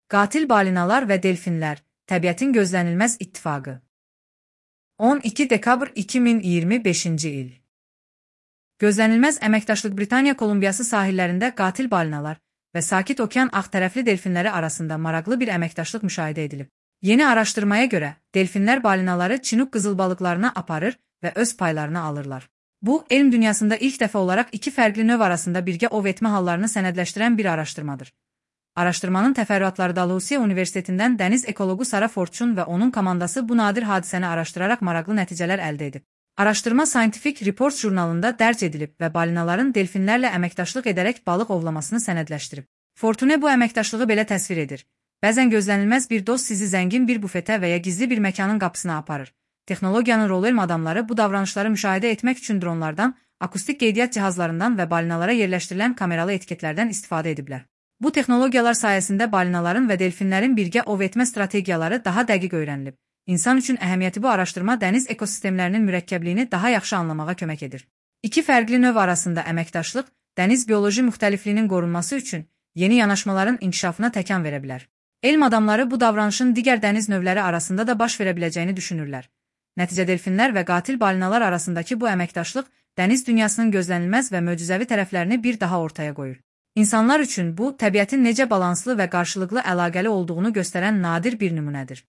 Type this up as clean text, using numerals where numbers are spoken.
Qatil balinalar və delfinlər, təbiətin gözlənilməz ittifaqı. 12 dekabr 2025-ci il. Gözlənilməz əməkdaşlıq Britaniya Kolumbiyası sahillərində qatil balinalar və Sakit Okean ağtərəfli delfinləri arasında maraqlı bir əməkdaşlıq müşahidə edilib. Yeni araşdırmaya görə, delfinlər balinaları Çinuq qızılbalıqlarına aparır və öz paylarını alırlar. Bu, elm dünyasında ilk dəfə olaraq iki fərqli növ arasında birgə ov etmə hallarını sənədləşdirən bir araşdırmadır. Araşdırmanın təfərrüatları Dalhousie Universitetindən dəniz ekologu Sara Fortune və onun komandası bu nadir hadisəni araşdıraraq maraqlı nəticələr əldə edib. Araşdırma Scientific Reports jurnalında dərc edilib və balinaların delfinlərlə əməkdaşlıq edərək balıq ovlamasını sənədləşdirib. Fortune bu əməkdaşlığı belə təsvir edir. Bəzən gözlənilməz bir dost sizi zəngin bir bufetə və ya gizli bir məkanın qapısına aparır. Texnologiyanın rol elm adamları bu davranışları müşahidə etmək üçün dronlardan, akustik qeydiyyat cihazlarından və balinalara yerləşdirilən kameralı etiketlərdən istifadə ediblər. Bu texnologiyalar sayəsində balinaların və delfinlərin birgə ov etmə strategiyaları daha dəqiq öyrənilib. İnsan üçün əhəmiyyəti bu araşdırma dəniz ekosistemlərinin mürəkkəbliyini daha yaxşı anlamağa kömək edir. İki fərqli növ arasında əməkdaşlıq, dəniz bioloji müxtəlifliyinin qorunması üçün yeni yanaşmaların inkişafına təkan verə bilər. Elm adamları bu davranışın digər dəniz növləri arasında da baş verə biləcəyini düşünürlər. Nəticə delfinlər və qatil balinalar arasındakı bu əməkdaşlıq dəniz dünyasının gözlənilməz və möcüzəvi tərəflərini bir daha ortaya qoyur. İnsanlar üçün bu, təbiətin necə balanslı və qarşılıqlı əlaqəli olduğunu göstərən nadir bir nümunədir.